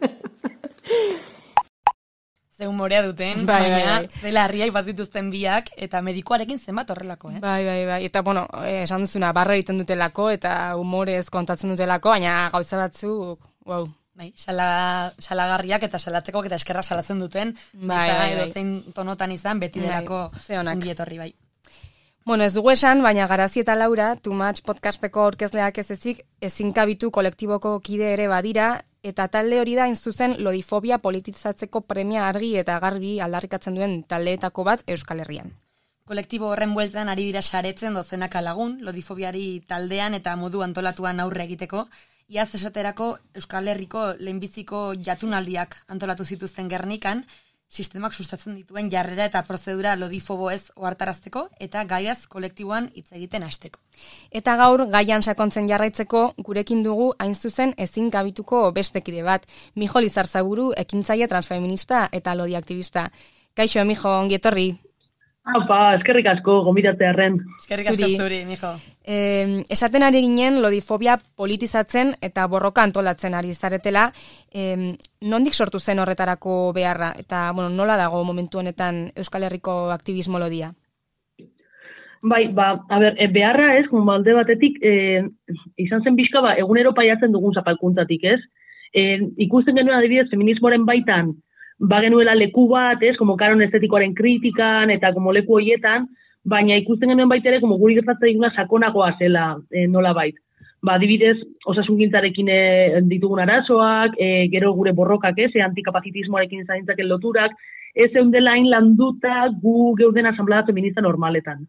Ze humorea duten, bai, baina bai, bai. zela harriak bat dituzten biak, eta medikoarekin zenbat horrelako, eh? Bai, bai, bai. Eta, bueno, eh, esan duzuna, barra egiten dutelako, eta humorez kontatzen dutelako, baina gauza batzuk, wow. Bai, sala, salagarriak eta salatzekoak eta eskerra salatzen duten, Bai, eta bai, edo bai. zein tonotan izan, beti Bai, delako ze onak. ongietorri bai. Bueno, ez dugu esan, baina Garazi eta Laura, Too Much podcasteko aurkezleak ez ezik, ezinkabitu kolektiboko kide ere badira, eta talde hori da zuzen lodifobia politizatzeko premia argi eta garbi aldarrikatzen duen taldeetako bat Euskal Herrian. Kolektibo horren bueltan ari dira saretzen dozenaka lagun, lodifobiari taldean eta modu antolatuan aurre egiteko, iaz esaterako Euskal Herriko lehenbiziko jatunaldiak antolatu zituzten Gernikan, sistemak sustatzen dituen jarrera eta prozedura lodifobo ez ohartarazteko eta gaiaz kolektiboan hitz egiten hasteko. Eta gaur gaian sakontzen jarraitzeko gurekin dugu hain zuzen ezin kabituko beste kide bat, Mijo Lizarzaburu, ekintzaile transfeminista eta lodi aktivista. Kaixo, Mijo, ongi etorri. Apa, eskerrik asko, gomitatzearren. Eskerrik asko zuri, Mijo. Eh, esaten ari ginen lodifobia politizatzen eta borroka antolatzen ari zaretela, eh, nondik sortu zen horretarako beharra eta bueno, nola dago momentu honetan Euskal Herriko aktivismo lodia? Bai, ba, a ber, e, beharra ez, alde batetik, e, izan zen bizka, ba, egunero paiatzen dugun zapalkuntzatik, ez? E, ikusten genuen adibidez feminismoaren baitan, ba genuela leku bat, ez, como kanon estetikoaren kritikan, eta como leku hoietan, baina ikusten genuen baita ere, como guri gertatzen diguna sakonagoa zela, e, nola bait. Ba, adibidez, osasungintzarekin e, ditugun arazoak, e, gero gure borrokak, ez, e, antikapazitismoarekin zaintzaken loturak, ez eundela hain landuta gu geuden asamblea feminista normaletan.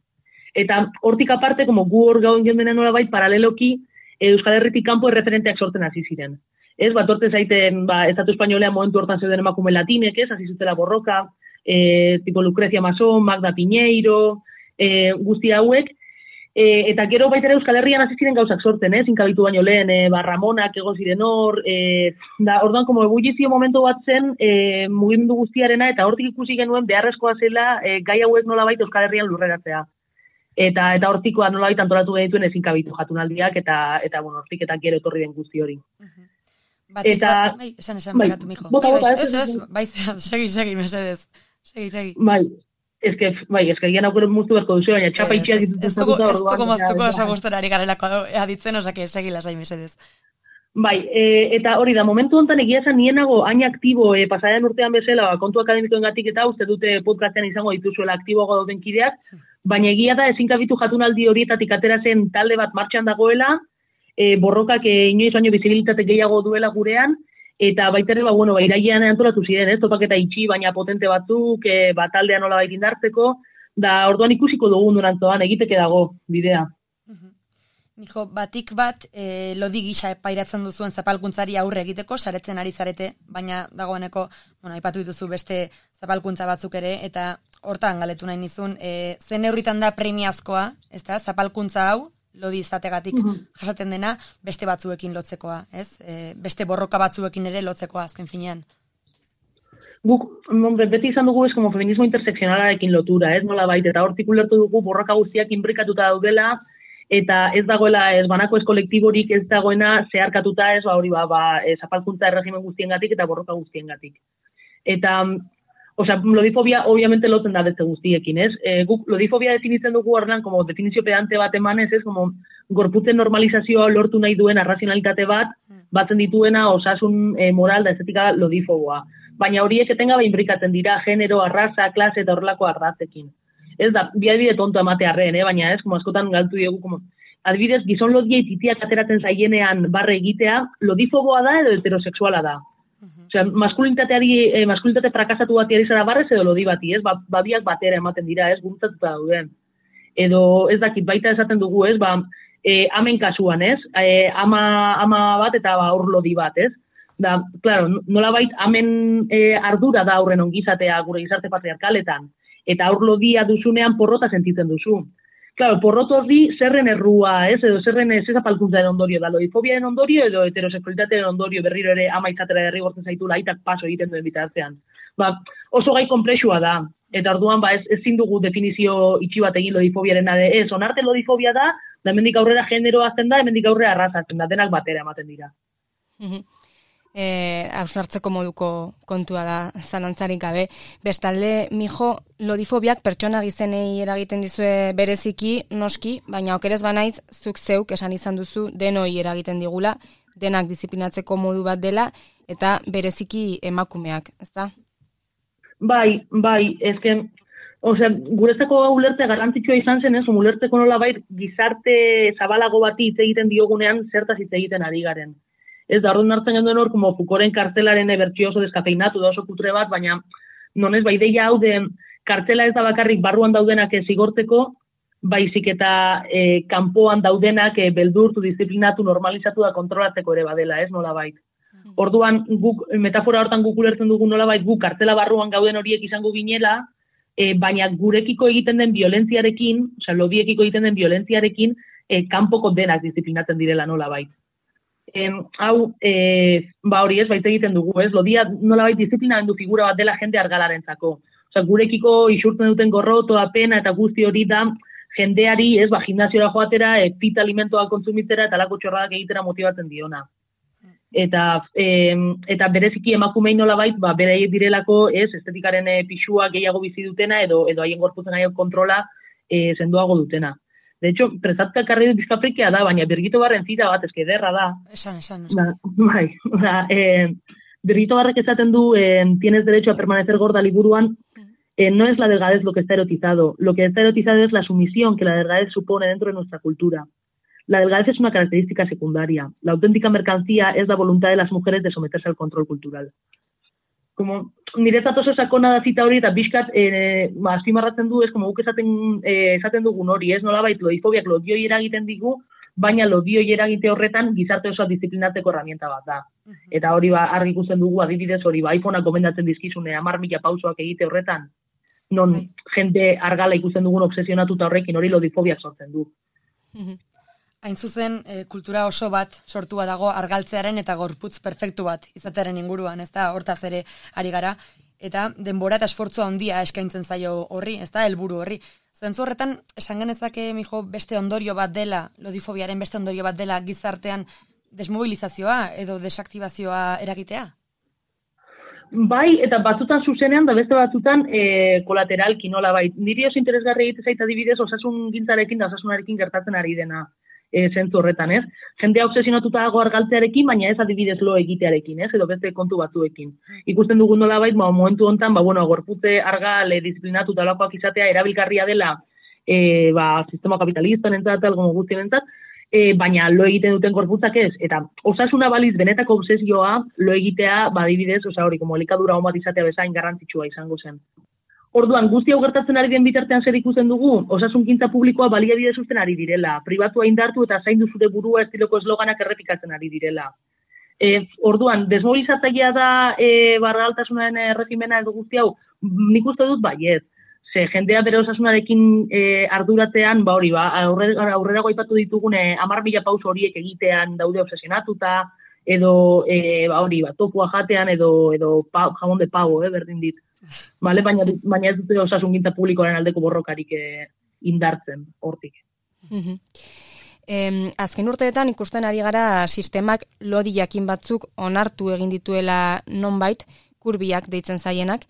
Eta hortik aparte, como gu hor gauen geundena nola bait, paraleloki, e, Euskal Herritik kanpo erreferenteak sortzen hasi ziren. Ez, bat orte zaiten, ba, Estatu Espainolean momentu hortan zeuden emakume latinek, ez, hasi zutela borroka, e, tipo Lucrecia Mason, Magda Piñeiro, e, guzti hauek, e, eta gero baita ere Euskal Herrian hasi ziren gauzak sorten, ez, inkabitu baino lehen, e, ba, Ramonak egon ziren hor, e, da, orduan, como ebullizio momentu bat zen, e, mugimendu guztiarena, eta hortik ikusi genuen beharrezkoa zela, e, gai hauek nolabait Euskal Herrian lurreratzea. Eta eta hortikoa nolabait antolatu genituen ezin kabitu jatunaldiak, eta, eta bueno, hortik eta gero etorri den guzti hori. Uh-huh. Batik, eta, bat, bai, esan esan bai, begatu, Mijo. Bota, bota, bai, ez, ez, bai, segi, segi, mesedez. Segi, segi. Bai, eske, bai, eske gian aukero muztu berko duzu, baina txapa itxiak dituzten zakuta orduan. Ez dugu moztuko esagustenari garelako aditzen, osake, segi lasai, mesedez. Bai, e, eta hori da, momentu honetan egia esan nienago hain aktibo e, pasadean urtean bezala, kontu akademikoengatik eta uste dute podcastean izango dituzuela aktiboago dauden kideak, baina egia da ezin kabitu jatunaldi horietatik atera zen talde bat martxan dagoela, E, borrokak e, inoiz baino bizibilitate gehiago duela gurean, eta baita ere, ba, bueno, ba, irailean antolatu ziren, ez, topaketa itxi, baina potente batzuk, e, ba, taldean nola bait indartzeko, da orduan ikusiko dugun durantzoan, egiteke dago bidea. Uh-huh. Mijo, batik bat, e, lodi gisa pairatzen duzuen zapalkuntzari aurre egiteko, saretzen ari zarete, baina dagoeneko, bueno, aipatu dituzu beste zapalkuntza batzuk ere, eta hortan galetu nahi nizun, e, zen neurritan da premiazkoa, ez da, zapalkuntza hau, lodi izategatik jasaten dena beste batzuekin lotzekoa, ez? E, beste borroka batzuekin ere lotzekoa azken finean. Guk, beti izan dugu ez como feminismo interseksionalarekin lotura, ez nola baita, eta hortik ulertu dugu borroka guztiak inbrikatuta daudela, eta ez dagoela ez banako ez kolektiborik ez dagoena zeharkatuta ez, ba hori ba, ba zapalkuntza erregimen guztiengatik eta borroka guztiengatik. Eta osea, lodifobia obviamente lotzen da beste guztiekin, ez? E, guk lodifobia definitzen dugu horrean como definizio pedante bat emanez, ez? Como gorputzen normalizazioa lortu nahi duen arrazionalitate bat, batzen dituena osasun e, moral da estetika lodifoboa. Baina horiek etengabe inbrikatzen dira genero, arraza, klase eta horrelako arrazekin. Ez da, bi adibide tonto ematearren, eh? Baina ez, como askotan galtu diegu, como adibidez, gizon lodiei titiak ateratzen zaienean barre egitea, lodifoboa da edo heterosexuala da. Osea, maskulinitateari, eh, maskulinitate frakasatu bati ari zara barrez edo lodi bati, ez? Ba, babiak batera ematen dira, ez? Gurutzatuta dauden. Edo, ez dakit, baita esaten dugu, ez? Ba, e, amen kasuan, ez? E, ama, ama bat eta ba, aur lodi bat, ez? Da, claro, nola bait, amen e, ardura da aurren ongizatea gure gizarte patriarkaletan. Eta aur lodia duzunean porrota sentitzen duzu. Claro, porrot horri zerren errua, ez? Edo zerren ez zapalkuntzaren ondorio da, lodifobiaren ondorio edo heterosexualitatearen ondorio berriro ere ama izatera derrigortzen zaitu laitak paso egiten duen bitartean. Ba, oso gai konplexua da, eta orduan ba, ez, ezin dugu definizio itxi bat egin lodifobiaren ade, ez, onarte lodifobia da, da hemendik aurrera genero azten da, hemendik aurrera arrazatzen da, denak batera ematen dira. Eh, hausnartzeko moduko kontua da zalantzarik gabe. Bestalde, Mijo, lodifobiak pertsona gizenei eragiten dizue bereziki, noski, baina okerez banaiz, zuk zeuk esan izan duzu denoi eragiten digula, denak disiplinatzeko modu bat dela, eta bereziki emakumeak, ezta? Bai, bai, ezken, osea, guretzako ulertze garrantzitsua izan zen, ez, ulertzeko nola bai gizarte zabalago bati hitz egiten diogunean zertaz hitz egiten ari garen. Ez da, orduan hartzen genduen hor, como Foucaulten kartelaren bertsio oso deskafeinatu da oso kutre bat, baina nonez, ba, ideia hau de kartela ez da bakarrik barruan daudenak zigorteko, baizik eta e, kanpoan daudenak e, beldurtu, disiplinatu, normalizatu da kontrolatzeko ere badela, ez nola bait. orduan guk metafora hortan guk ulertzen dugu nolabait guk kartela barruan gauden horiek izango ginela, e, baina gurekiko egiten den violentziarekin, osea, lodiekiko egiten den violentziarekin, e, kanpoko denak disiplinatzen direla nolabait. E, hau, e, ba hori ez, baita egiten dugu, ez? Lodia nolabait disiplinamendu figura bat dela jende argalarentzako. Osea, gurekiko isurtzen duten gorrotoa, pena eta guzti hori da jendeari, ez, ba, gimnasiora joatera, e, pita alimentoa kontsumitzera eta lako txorradak egitera motibatzen diona. Eta, e, eta bereziki emakumei nolabait, ba, beraiek direlako, ez, estetikaren e, pixua gehiago bizi dutena edo edo haien gorputzen haien kontrola e, sendoago dutena. De hecho, prezatka karri dut bizkafrikia da, baina Birgito Barren zita bat, eske ederra da. Esan, esan, esan. Ba, bai, da, e, Birgito Barrek esaten du, e, tienes derecho a permanecer gorda liburuan, eh, no es la delgadez lo que está erotizado, lo que está erotizado es la sumisión que la delgadez supone dentro de nuestra cultura. La delgadez es una característica secundaria. La auténtica mercancía es la voluntad de las mujeres de someterse al control cultural. Como, niretzat oso sakona da zita hori eta bizkat, eh, ba, azpimarratzen du, ez, como guk esaten, eh, esaten dugun hori, ez, nolabait, lodifobiak lodioi eragiten digu, baina lodioi eragite horretan gizarte osoa disiplinatzeko herramienta bat da. Eta hori ba, argi ikusten dugu, adibidez hori, ba, iPhonea gomendatzen dizkizune, hamar mila pausoak egite horretan, non Hai. jende argala ikusten dugun obsesionatuta horrekin, hori lodifobiak sortzen du. Hain zuzen, e, kultura oso bat sortua dago argaltzearen eta gorputz perfektu bat izatearen inguruan, ez da, hortaz ere ari gara, eta denbora eta esfortzua handia eskaintzen zaio horri, ez da, helburu horri. Zentzu horretan, esan genezake, mijo, beste ondorio bat dela, lodifobiaren beste ondorio bat dela gizartean desmobilizazioa edo desaktibazioa eragitea? Bai, eta batzutan zuzenean, da beste batzutan e, kolateralki nola bai. Niri oso interesgarri egite zaita adibidez osasun gintzarekin da osasunarekin gertatzen ari dena e, zentzu horretan, ez? Jendea obsesionatuta dago argaltzearekin, baina ez adibidez lo egitearekin, ez? Edo beste kontu batzuekin. Ikusten dugun nola bai, ba, momentu hontan, ba, bueno, gorputze argal e, disiplinatu talakoak izatea erabilgarria dela e, ba, sistema kapitalista nentzat, algo guztienentzat, E, baina lo egiten duten gorputzak ez, eta osasuna baliz benetako obsesioa lo egitea, badibidez, osa hori, como elikadura hon bat izatea bezain garrantzitsua izango zen. Orduan, guzti hau gertatzen ari den bitartean zer ikusten dugu, osasunkintza publikoa baliabide zuzten ari direla, pribatua indartu eta zaindu zure burua estiloko esloganak errepikatzen ari direla. E, orduan, desmobilizatzailea da e, bargaltasunaren erregimena edo guzti hau, nik uste dut baiet. Ze jendea bere osasunarekin e, arduratzean, ba hori, ba, aurrera, aurrera goipatu ditugune hamar mila pauso horiek egitean daude obsesionatuta, edo, e, ba hori, ba, topua jatean, edo, edo pa, jamon de pavo, eh, berdin dit. Vale? Baina, baina ez dute osasungintza publikoaren aldeko borrokarik e, indartzen, hortik. Mm-hmm. Eh, azken urteetan ikusten ari gara sistemak lodi jakin batzuk onartu egin dituela nonbait, kurbiak deitzen zaienak,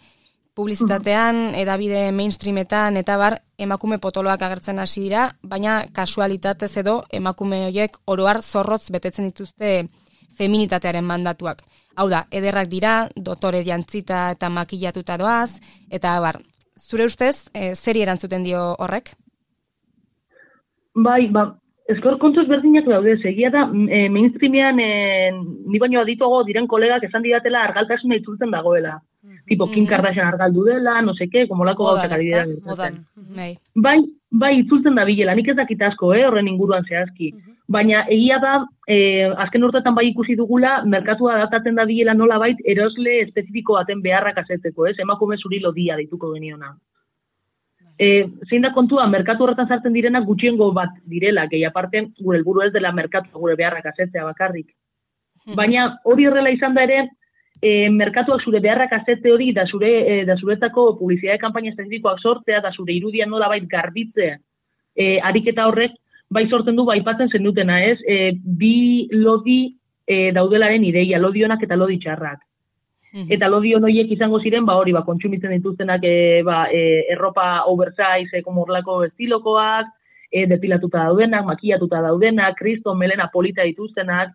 publizitatean, edabide mainstreametan eta bar, emakume potoloak agertzen hasi dira, baina kasualitatez edo emakume horiek oroar zorrotz betetzen dituzte feminitatearen mandatuak. Hau da, ederrak dira, dotore jantzita eta makillatuta doaz, eta bar, zure ustez, e, zeri erantzuten dio horrek? Bai, ba, eskor kontuz berdinak daude, egia da, e, mainstreamean e, ni baino adituago diren kolegak esan didatela argaltasuna itzultzen dagoela. Tipo, Kim Kardashian argaldu dela, no seke, komolako gauzak ari dira. Bai, bai, itzultzen da bilela, nik ez dakit asko, eh, horren inguruan zehazki. Baina egia da, eh, azken urtetan bai ikusi dugula, merkatua adaptatzen da bilela nola bait, erosle espezifiko baten beharrak asetzeko, ez, emakume zuri lodia dituko geniona. E, zein da kontua, merkatu horretan sartzen direnak gutxiengo bat direla, gehi aparte, gure helburu ez dela merkatu, gure beharrak asetzea bakarrik. Baina hori horrela izan da ere, E, merkatuak zure beharrak azete hori da zure e, da zuretako publizitate kanpaina espezifikoak sortzea da zure irudian nolabait garbitze e, ariketa horrek bai sortzen du baipatzen zenutena, ez? E, bi lodi e, daudelaren ideia, lodi onak eta lodi txarrak. Mm-hmm. Eta lodi on horiek izango ziren, ba hori, ba kontsumitzen dituztenak e, ba, e, erropa oversize, e, komorlako estilokoak, e, depilatuta daudenak, makillatuta daudenak, kriston melena polita dituztenak.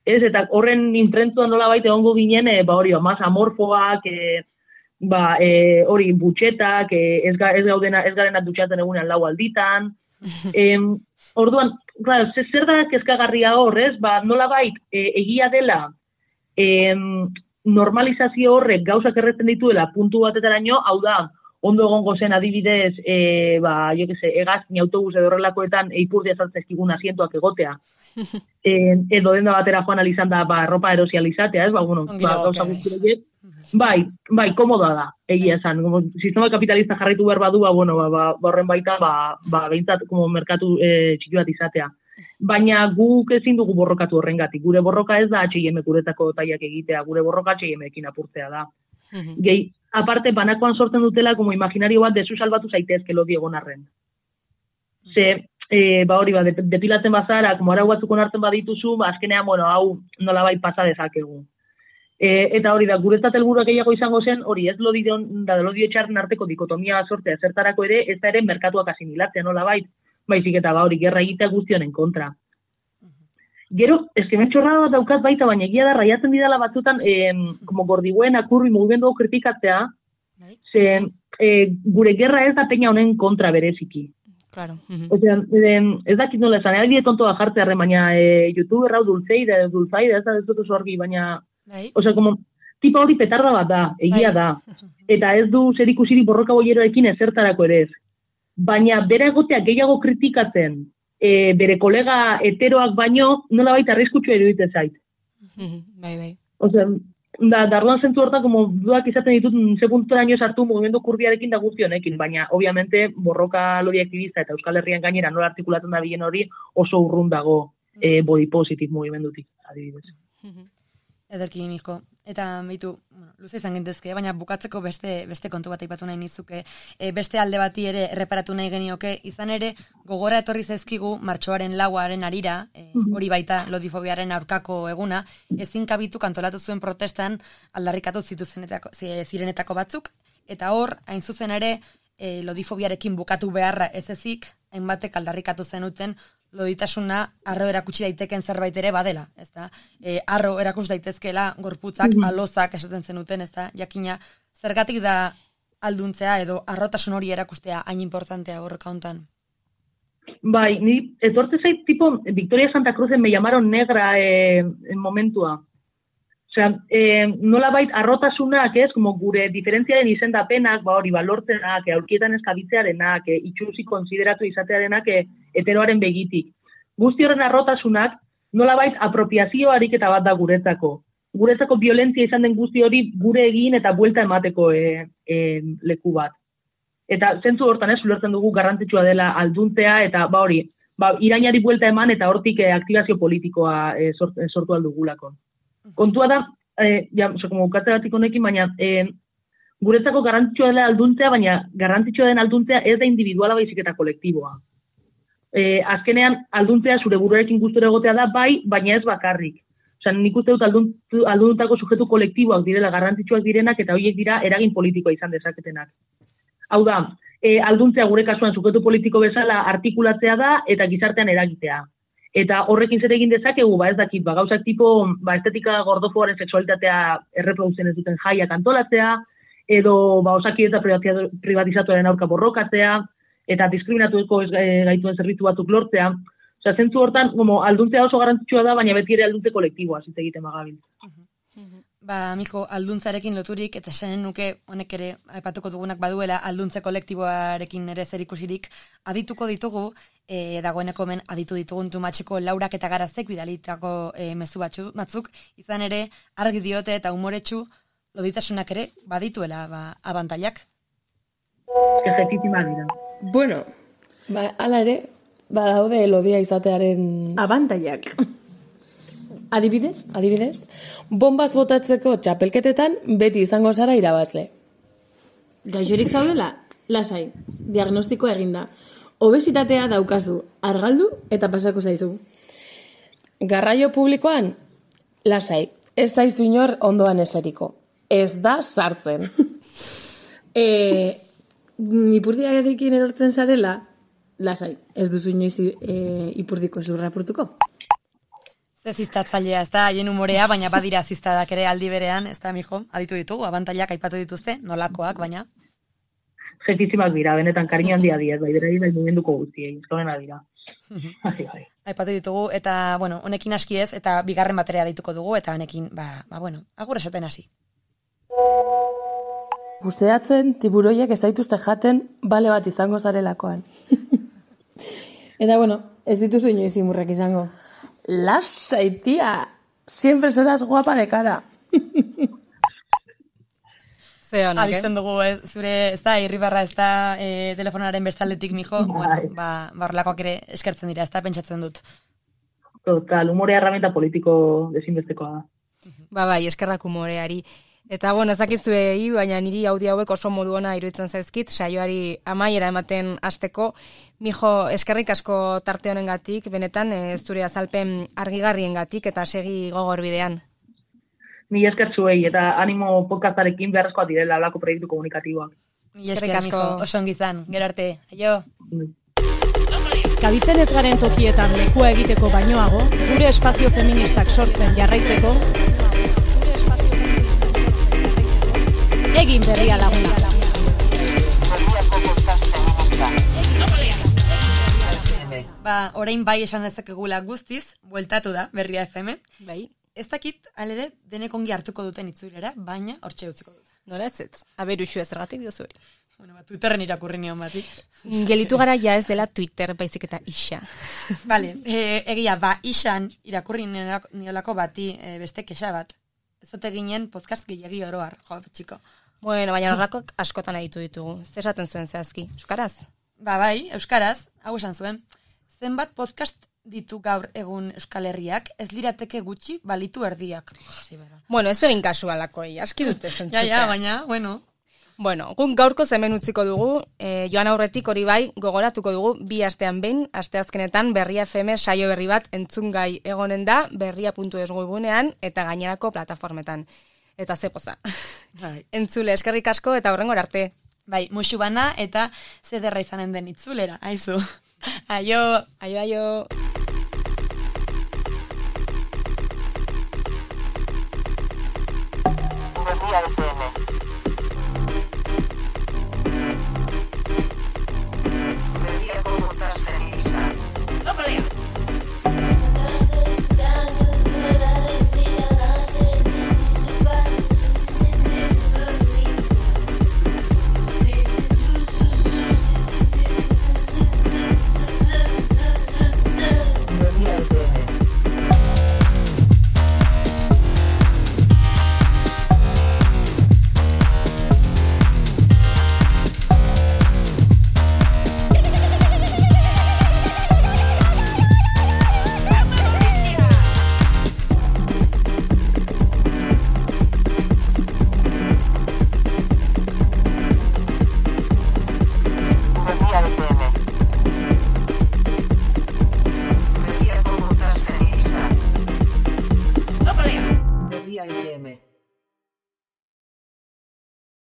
Ez, eta horren imprentuan nola baita egongo ginen, e, ba hori, ba, mas amorfoak, e, ba, e, hori, butxetak, e, ez, ga, ez gaudena, ez garenak dutxatzen egunean lau alditan. e, orduan, claro, zer da kezkagarria hor, ez? Ba, nola bait, e, egia dela, e, normalizazio horrek gauzak erretzen dituela puntu batetaraino, hau da, ondo egongo zen adibidez, e, ba, jo que se, hegazkin autobus edo horrelakoetan eipurdia sartzezkigun asientuak egotea. e, edo denda batera joan alizan da, ba, ropa erosializatea, ez, ba, bueno, ba, gauza guztiak. Bai, bai, komodoa da, egia esan. Como, sistema kapitalista jarraitu behar badu, ba, bueno, ba, ba, horren baita, ba, ba, behintzat, como merkatu e, txiki bat izatea. Baina guk ezin dugu borrokatu horrengatik. Gure borroka ez da H and M guretako taiak egitea, gure borroka H and M-ekin apurtzea da. Gehi, aparte, banakoan sortzen dutela, como imaginario bat, desu salbatu zaitezke lodi egon arren. Ze, e, ba hori, ba, depilatzen bazara, como arau batzuk onartzen badituzu, ba, azkenean, bueno, hau nolabait pasa dezakegu. E, eta hori da, guretzat helburua gehiago izango zen, hori ez lodi da lodi etxarren arteko dikotomia sortzea zertarako ere, ez da ere merkatuak asimilatzea nolabait, baizik eta ba hori, gerra egitea guztionen kontra. Gero, eske mentxorra bat daukat baita, baina egia da, raiatzen didala batzutan, eh, como gordiguen akurri mugimendu kritikatzea, ze eh, gure gerra ez da peña honen kontra bereziki. Claro. Uh-huh. Osea, eh, ez dakit nola esan, ari tontoa jartzea arren, baina eh, YouTuber hau dulzeida, dulzaida, ez da ez dut oso argi, baina, osea, como, tipa hori petarda bat da, egia da, eta ez du zer ikusiri borroka boieroekin ezertarako ere ez. Baina bera egotea gehiago kritikatzen, E, bere kolega heteroak baino, nola baita arriskutsua iruditzen zait. Bai, bai. Osea, da, darduan zentu hortan, como dudak izaten ditut, ze punturaino sartu mugimendu kurbiarekin da guztionekin, baina, obviamente, borroka lori aktivista eta Euskal Herrian gainera nola artikulatzen da bilen hori oso urrun dago e, body positive mugimendutik, adibidez. Ederki, Miko. Eta, beitu, bueno, luze izan gintezke, baina bukatzeko beste beste kontu bat aipatu nahi nizuke. E, beste alde bati ere erreparatu nahi genioke, izan ere, gogora etorri zaizkigu martxoaren lauaren arira, e, hori baita lodifobiaren aurkako eguna, ezin kabitu kantolatu zuen protestan aldarrikatu zituzenetako, zirenetako batzuk, eta hor, hain zuzen ere, e, lodifobiarekin bukatu beharra ez ezik, hainbatek aldarrikatu zenuten, loditasuna arro erakutsi daiteken zerbait ere badela, ezta? E, arro erakus daitezkela gorputzak, mm-hmm. alozak esaten zenuten, ezta? Jakina, zergatik da alduntzea edo arrotasun hori erakustea hain importantea borroka hontan? Bai, ni etortze zait tipo Victoria Santa Cruzen me llamaron negra eh, en momentua. Osea, eh, nolabait arrotasunak, ez, como gure diferentziaren izendapenak, ba hori, balortzenak, aurkietan eskabitzearenak, e, itxusi konsideratu izatearenak e, heteroaren begitik. Guzti horren arrotasunak, nolabait apropiazio ariketa bat da guretzako. Guretzako violentzia izan den guzti hori gure egin eta buelta emateko e, e, leku bat. Eta zentzu hortan ez, ulertzen dugu garrantzitsua dela alduntzea, eta ba hori, ba, irainari buelta eman eta hortik e, aktibazio politikoa e, sort, e, sortu aldugulako. Kontua da, eh, ja, oso, como bukatze batik honekin, baina eh, guretzako garrantzitsua dela alduntzea, baina garrantzitsua den alduntzea ez da individuala baizik eta kolektiboa. Eh, azkenean, alduntzea zure buruarekin gustura egotea da, bai, baina ez bakarrik. Osea, nik uste dut alduntu, alduntako sujetu kolektiboak direla garrantzitsuak direnak eta horiek dira eragin politikoa izan dezaketenak. Hau da, eh, alduntzea gure kasuan sujetu politiko bezala artikulatzea da eta gizartean eragitea. Eta horrekin zer egin dezakegu, ba ez dakit, ba gauzak tipo, ba estetika gordofoaren sexualitatea erreproduzen ez duten jaiak antolatzea, edo ba osakidetza privatizatuaren aurka borrokatzea, eta diskriminatuko ez gaituen zerbitzu batzuk lortzea. Osea, zentzu hortan, como alduntzea oso garrantzitsua da, baina beti ere alduntze kolektiboa, hitz egiten bagabil. Ba, Miko, alduntzarekin loturik, eta esanen nuke, honek ere, aipatuko dugunak baduela, alduntze kolektiboarekin ere zerikusirik, adituko ditugu, e, dagoeneko men aditu ditugun tumatxeko laurak eta garazek bidalitako e, mezu batzu, batzuk, izan ere, argi diote eta umoretsu, loditasunak ere, badituela, ba, abantailak. Ejekitima dira. Bueno, ba, ala ere, badaude lodia izatearen abantailak. Adibidez? Adibidez, bombaz botatzeko txapelketetan beti izango zara irabazle. Gaixorik zaudela? Lasai, diagnostiko eginda. Obesitatea daukazu, argaldu eta pasako zaizu. Garraio publikoan? Lasai, ez zaizu inor ondoan eseriko. Ez da sartzen. e, ipurdiarekin erortzen zarela? Lasai, ez duzu inoiz e, ipurdiko zurrapurtuko? Ez ziztatzailea, ez da, haien humorea, baina badira ziztadak ere aldi berean, ez da, mijo, aditu ditugu, abantailak aipatu dituzte, nolakoak, baina. Jetizimak dira, benetan kariño handia diaz, bai, berari bai mugimenduko guztiei, eskorena dira. Asi, bai. Aipatu ditugu, eta, bueno, honekin aski ez, eta bigarren batera dituko dugu, eta honekin, ba, ba bueno, agur esaten hasi. buzeatzen tiburoiek ez zaituzte jaten bale bat izango zarelakoan. Eta bueno, ez dituzu inoiz imurrak izango. Lasai, tia, siempre serás guapa de cara. Zeonak, eh? Abitzen dugu, ez, zure, ez da, irribarra, ez da, e, telefonaren bestaldetik, mijo, bueno, ba, barlakoak ere eskertzen dira, ez da, pentsatzen dut. Total, humorea herramienta politiko desinbestekoa da. Ba, bai, eskerrak humoreari. Eta, bueno, ezakizuei, baina niri audio hauek oso modu ona iruditzen zaizkit, saioari amaiera ematen hasteko. Mijo, eskerrik asko tarte honengatik, benetan, e, zure azalpen argigarriengatik eta segi gogor bidean. Ni eskertzuei eta animo podcastarekin beharrezkoak direla alako proiektu komunikatiboak. Mila esker, mijo, oso ongi izan, gero arte, aio. Kabitzen ez garen tokietan lekua egiteko bainoago, gure espazio feministak sortzen jarraitzeko, egin berria laguna. Berriako podcast feminista. Ba, orain bai esan dezakegula guztiz, bueltatu da, Berria F M. Bai. Ez dakit, alere, denek ongi hartuko duten itzulera, baina hortxe utziko dut. Nola ez ez? Aberuxu ezergatik diozu hori. Bueno, ba, Twitterren irakurri nion batik. Gelitu gara ja ez dela Twitter, baizik eta isa. Vale, e, egia, ba, isan irakurri niolako bati e, beste kexa bat. Ez ote ginen podcast gehiagi oroar, jo, txiko. Bueno, baina horrakoak askotan aditu ditugu. Zer esaten zuen zehazki? Euskaraz? Ba, bai, euskaraz, hau esan zuen. Zenbat podcast ditu gaur egun Euskal Herriak, ez lirateke gutxi balitu erdiak. Bueno, ez egin kasualakoi, aski dute zentzuta. Ja, ja, baina, bueno. Bueno, guk gaurko hemen utziko dugu, e, joan aurretik hori bai, gogoratuko dugu, bi astean behin, asteazkenetan Berria F M saio berri bat entzungai egonen da, berria puntu eus webunean eta gainerako plataformetan. Eta ze poza. Bai. Entzule, eskerrik asko eta hurrengora arte. Bai, musu bana eta zederra izanen den itzulera, aizu. Aio. Aio, aio. Berria F M. Berriako podcast feminista. F M.